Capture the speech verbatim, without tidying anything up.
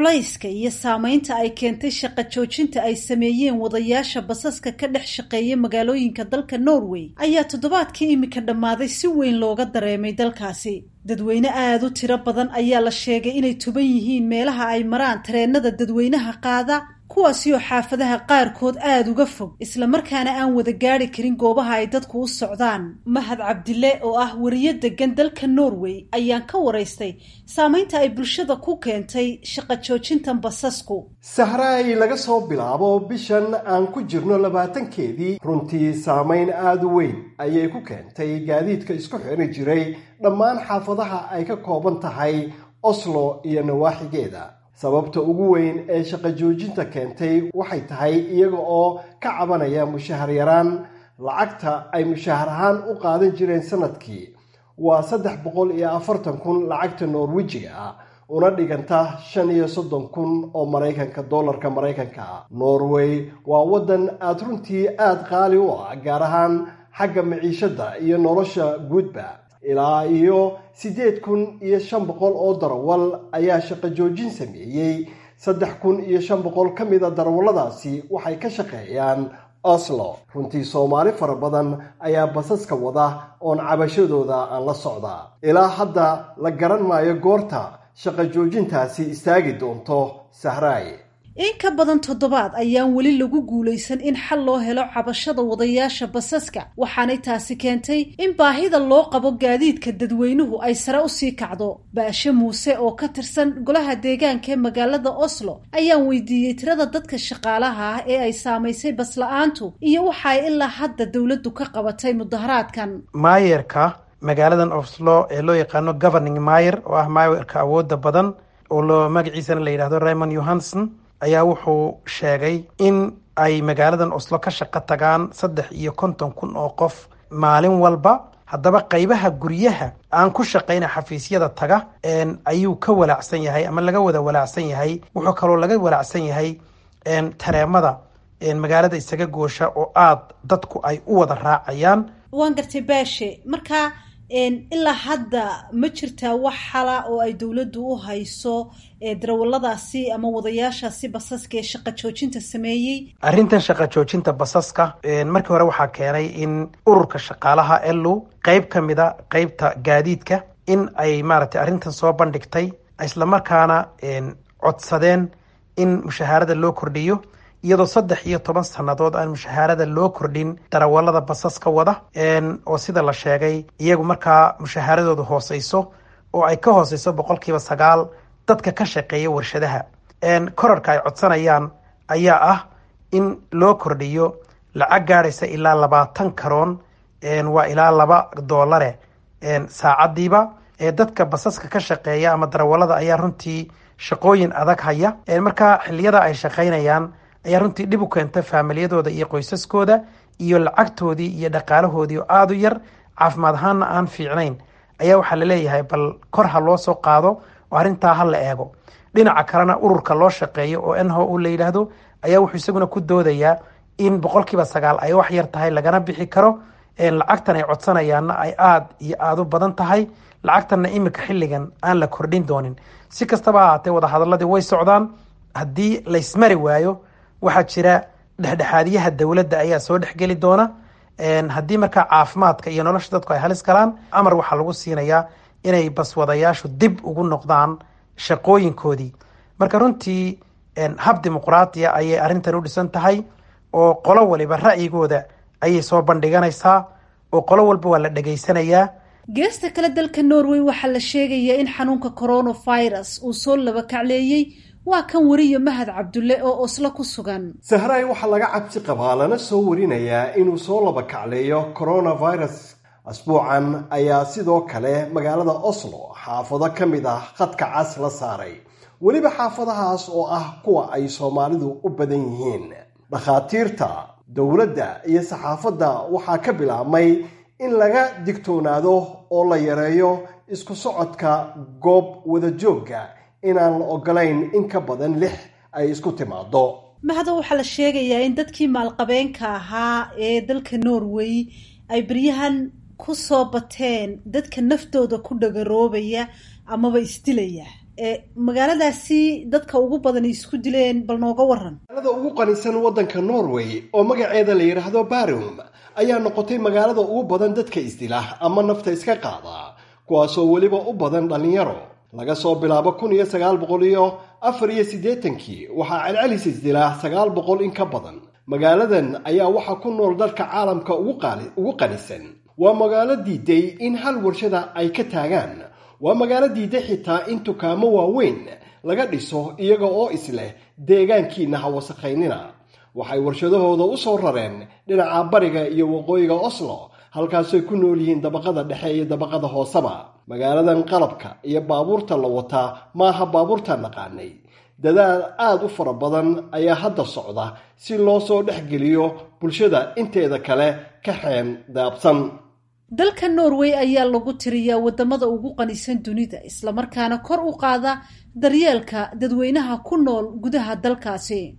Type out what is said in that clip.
Culayska iyo saameynta ay keentay shaqo joojinta ay sameeyeen wadayaasha basaska ka dhex shaqeeya magaalooyinka dalka Norway ayaa toddobaadkii iminka dhammaaday si weyn looga dareemay dalkaasi. Dadweyne aada u tiro badan ayaa la sheegay inay tuban yihiin meelaha ay maraan tareenada dadweynaha qaada, kuwaasi oo xaafadaha qaarkood aada uga fog, islamarkaana aan wada gaari karin goobaha ay dadku u socdaan. Mahad Cabdile oo ah wariyo degan dalka Norway ayaan ka waraystay saameynta ay bulshada ku keentay shaqo joojintan basasku. Sahraay, laga soo bilaabo bishan aan ku jirno labaatankeedii, runtii saameyn aada u weyn ayay ku keentay gaadiidka isku xiri jiray dhammaan xaafadaha ay ka kooban tahay Oslo iyo nawaaxigeeda. Sababta ugu weyn ee shaqo joojinta keentay waxay tahay iyaga oo ka cabanaya mushahar yaraan. Lacagta ay mushahar ahaan u qaadan jireen sanadkii waa saddex boqol iyo afartan kun lacagta Norwejiga ah, una dhiganta shan iyo soddon kun oo Maraykanka, dollarka Maraykanka ah. Norway waa waddan aada runtii aada qaali u ah, gaar ahaan xagga maciishadda iyo nolosha guudba. Ilaa iyo siddeed kun iyo shan boqol oo darawal ayaa shaqo joojin sameeyey. Saddex kun iyo shan boqol ka mida darawalladaasi waxay ka shaqeeyaan Oslo. Runtii Soomaali fara badan ayaa basaska wada oon cabashadooda aan la socdaa. Ilaa hadda la garan maayo goorta shaqo joojintaasi istaagi doonto, Sahraay. In ka badan toddobaad ayaan weli lagu guulaysan in xal loo helo cabashada wadayaasha basaska, waxaanay taasi keentay in baahida loo qabo gaadiidka dadweynuhu ay sare usii kacdo. Baashe Muuse oo ka tirsan golaha deegaanka ee magaalada Oslo ayaan weydiiyey tirada dadka shaqaalaha ah ee ay saamaysay basla-aantu iyo waxa ay ilaa hadda dowladdu ka qabatay mudaharaadkan. Maayerka magaaladan Oslo ee loo yaqaano governing mayer, oo ah maayerka awooda badan, oo loo magaciisana la yidhahdo Raymond Johanson, ayaa wuxuu sheegay in ay magaaladan Oslo ka shaqo tagaan saddex iyo konton kun oo qof maalin walba. Haddaba qaybaha guryaha aan ku shaqayna, xafiisyada taga ayuu ka walaacsan yahay ama laga wada walaacsan yahay. Wuxuu kaloo laga walaacsan yahay tareemada magaalada isaga goosha oo aada dadku ay u wada raacayaan. Waan gartay, Baashe. Marka ilaa hadda ma jirtaa wax xala oo ay dowladdu u hayso darawaladaasi ama wadayaashaasi basaska ee shaqa joojinta sameeyey? Arrintan shaqa joojinta basaska markii hore waxaa keenay in ururka shaqaalaha L O qeyb ka mida qeybta gaadiidka in ay maaragtay arrintan soo bandhigtay, islamarkaana codsadeen in mushahaarada loo kordhiyo, iyadoo saddex iyo toban sannadood aan mushahaarada loo kordhin darawalada basaska wada, oo sida la sheegay iyagu markaa mushahaaradoodu hooseyso oo ay ka hooseyso boqolkiiba sagaal dadka ka shaqeeya warshadaha. Korarka ay codsanayaan ayaa ah in loo kordhiyo lacag gaadhaysa ilaa labaatan karoon, waa ilaa laba doolare saacadiiba. Dadka basaska ka shaqeeya ama darawalada ayaa runtii shaqooyin adag haya. Markaa xiliyada ay shaqaynayaan ayaa runtii dhib u keenta faamiliyadooda iyo qoysaskooda iyo lacagtoodii iyo dhaqaalahoodii oo aada u yar, caafimaad ahaanna aan fiicnayn. Ayaa waxaa laleeyahay bal kor ha loo soo qaado oo arrintaa ha la eego. Dhinaca kalena ururka loo shaqeeyo oo N H O la yidhaahdo ayaa wuxuu isaguna ku doodayaa in boqolkiiba sagaal ay wax yar tahay, lagana bixi karo, lacagtan ay codsanayaanna ay aada iyo aada u badan tahay, lacagtanna imika xilligan aan la kordhin doonin. Si kastaba ha ahaatee, wadahadaladii way socdaan. Haddii laysmari waayo, waxaa jira dhexdhexaadiyaha dowladda ayaa soo dhexgeli doona. Haddii markaa caafimaadka iyo nolosha dadku ay halis galaan, amar waxaa lagu siinayaa inay baswadayaashu dib ugu noqdaan shaqooyinkoodii. Marka runtii hab dimuqraatiya ayay arrintan u dhisan tahay, oo qolo waliba ra'yigooda ayay soo bandhiganaysaa, oo qolo walba waa la dhegaysanayaa. Geesta kale, dalka Norway waxaa la sheegayaa in xanuunka coronavirus uu soo laba kacleeyey. Waa kan wariye Mahad Cabdulle oo Oslo ku sugan. Sahraay, waxaa laga cabsi qabaa lana soo warinayaa inuu soo laba kacleeyo coronavirus. Asbuucan ayaa sidoo kale magaalada Oslo xaafado ka mid ah khadka cas la saaray, weliba xaafadahaas oo ah kuwa ay Soomaalidu u badan yihiin. Dhakhaatiirta, dowladda iyo saxaafadda waxaa ka bilaabmay in laga digtoonaado oo la yareeyo isku socodka, goob wadajoogga inaan la ogolayn in ka badan lix ay isku timaado. Mahado, waxaa la sheegayaa in dadkii maalqabeenka ahaa ee dalka Norway ay beryahan ku soo bateen dadka naftooda ku dhagaroobaya amaba isdilaya. Magaaladaasi dadka ugu badan isku dileen, bal nooga waran. Magaalada ugu qanisan waddanka Norway oo magaceeda la yidhaahdo Barum ayaa noqotay magaalada ugu badan dadka isdila ama nafta iska qaada, kuwaasoo weliba u badan dhallinyaro. Laga soo bilaabo kun iyo sagaal boqol iyo afar iyo siddeetankii waxaa celcelis isdilaa sagaal boqol in ka badan. Magaaladan ayaa waxaa ku nool dadka caalamka ugu qanisan. Waa magaalo diiday in hal warshada ay ka taagaan. Waa magaalo diiday xitaa in dukaamo waaweyn laga dhiso, iyaga oo isleh deegaankiina ha wasakhaynina. Waxay warshadahooda u soo rareen dhinaca bariga iyo waqooyiga Oslo, halkaasay ku nool yihiin dabaqada dhexe iyo dabaqada hooseba. Magaaladan qalabka iyo baabuurta la wataa maaha baabuurta naqaanay. Dadaal aada u fara badan ayaa hadda socda si loo soo dhex geliyo bulshada inteeda kale ka xeen daabsan. Dalka Norway ayaa lagu tiriyaa wadamada ugu qanisan dunida, islamarkaana kor u qaada daryeelka dadweynaha ku nool gudaha dalkaasi.